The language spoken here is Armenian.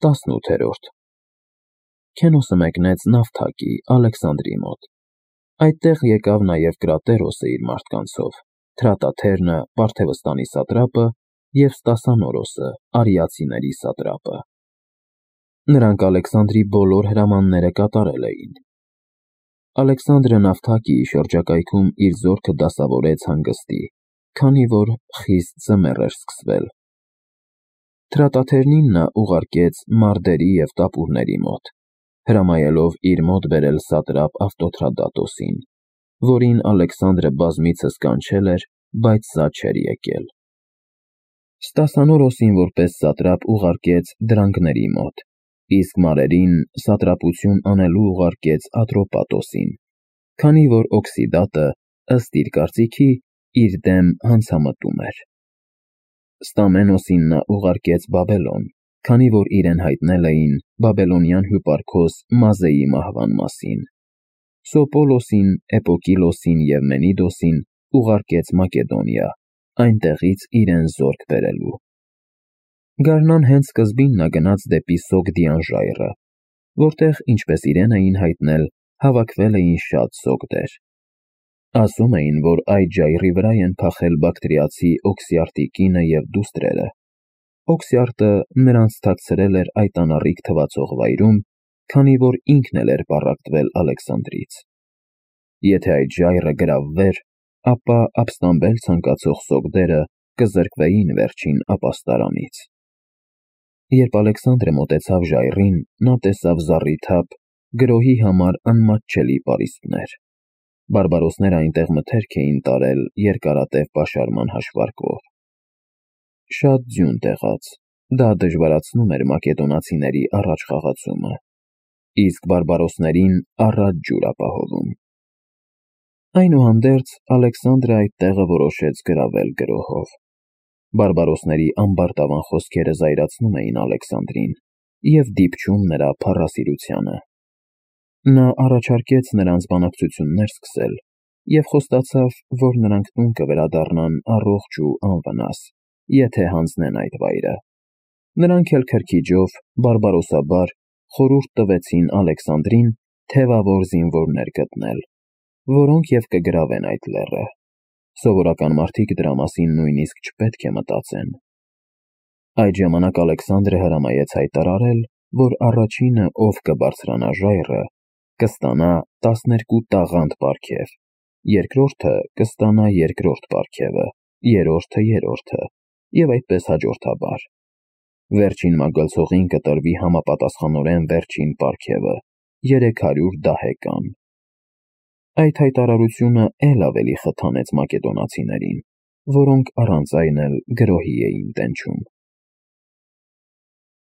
18-րդ Քենոսը մեկնեց Նավթակի, Ալեքսանդրի մոտ։ Այդտեղ եկավ նաև Կրատերոսը իր մարդկանցով, Թրատաթերնը, Պարթևստանի սատրապը և Ստասանորոսը, արիացիների սատրապը։ Նրանք Ալեքսանդրի բոլոր հրամանները կատարել էին։ Ալեքսանդրը Նավթակիի շրջակայքում իր զորքը դասավորեց հանգստի, քանի որ խիստ ձմեռ էր սկսվել։ Թրատաթերնին նա ուղարկեց Մարդերի և Տապուրների մոտ, հրամայելով իր մոտ բերել սատրապ Ավտոթրադատոսին, որին Ալեքսանդրը բազմիցս կանչել էր, բայց սա չէր եկել։ Ստասանորոսին որպես սատրապ ուղարկեց Դրանգների մոտ, իսկ Մարերին սատրապություն անելու ուղարկեց Ատրոպատոսին, քանի որ Օքսիդատը, ըստ իր կարծիքի, իր դեմ հանցամտում էր։ Ստամենոսին նա ուղարկեց Բաբելոն, քանի որ իրեն հայտնել էին բաբելոնյան հյուպարքոս Մազեի մահվան մասին։ Սոպոլոսին, Էպոկիլոսին և Մենիդոսին ուղարկեց Մակեդոնիա, այնտեղից իրեն զորք բերելու։ Գարնան հենց սկզբին նա գնաց դեպի Սոգդիան ժայռը, որտեղ, ինչպես իրեն էին հայտնել, հավաքվել էին շատ սոգդեր։ Ասում էին, որ այդ ժայռի վրա են փախել բակտրիացի Օքսիարտի կինը և դուստրերը։ Օքսիարտը նրանց թաքցրել էր այդ անառիկ թվացող վայրում, քանի որ ինքն էլ էր պառակտվել Ալեքսանդրից։ Եթե այդ ժայռը գրավվեր, ապա ապստամբել ցանկացող սոգդերը կզրկվեին վերջին ապաստարանից։ Երբ Ալեքսանդրը մոտեցավ ժայռին, նա տեսավ զառիթափ, գրոհի համար անմատչելի պարիսպներ։ Բարբարոսները այնտեղ մթերք էին տարել երկարատև պաշարման հաշվարկով։ Շատ ձյուն տեղաց, դա դժվարացնում էր մակեդոնացիների առաջ խաղացումը, իսկ բարբարոսներին առաջ ջուր ապահովում։ Այնուհանդերձ Ալեքսանդրը այդ տեղը որոշեց գրավել գրոհով։ Բարբարոսների ամբարտավան խոսքերը զայրացնում էին Ալեքսանդրին և դիպչում նրա փառասիրությանը։ Նա առաջարկեց նրանց բանակցություններ սկսել և խոստացավ, որ նրանք տուն կվերադառնան առողջ ու անվնաս, եթե հանձնեն այդ վայրը։ Նրանք էլ քրքիջով, բարբարոսաբար խորհուրդ տվեցին Ալեքսանդրին թևավոր զինվորներ գտնել, որոնք և կգրավեն այդ լեռը։ Սովորական մարդիկ դրա մասին նույնիսկ չպետք է մտածեն։ Այդ ժամանակ Ալեքսանդրը հրամայեց հայտարարել, որ առաջինը, ով կբարձրանա ժայռը, կստանա 12 տաղանդ պարգև, երկրորդը կստանա երկրորդ պարգևը, երրորդը երրորդը, և այդպես հաջորդաբար։ Վերջին մագլցողին կտրվի համապատասխանորեն վերջին պարգևը՝ 300 դահեկան։ Այդ հայտարարությունը էլ ավելի խթանեց մակեդոնացիներին, որոնք առանց այն էլ գրոհի էին տենչում։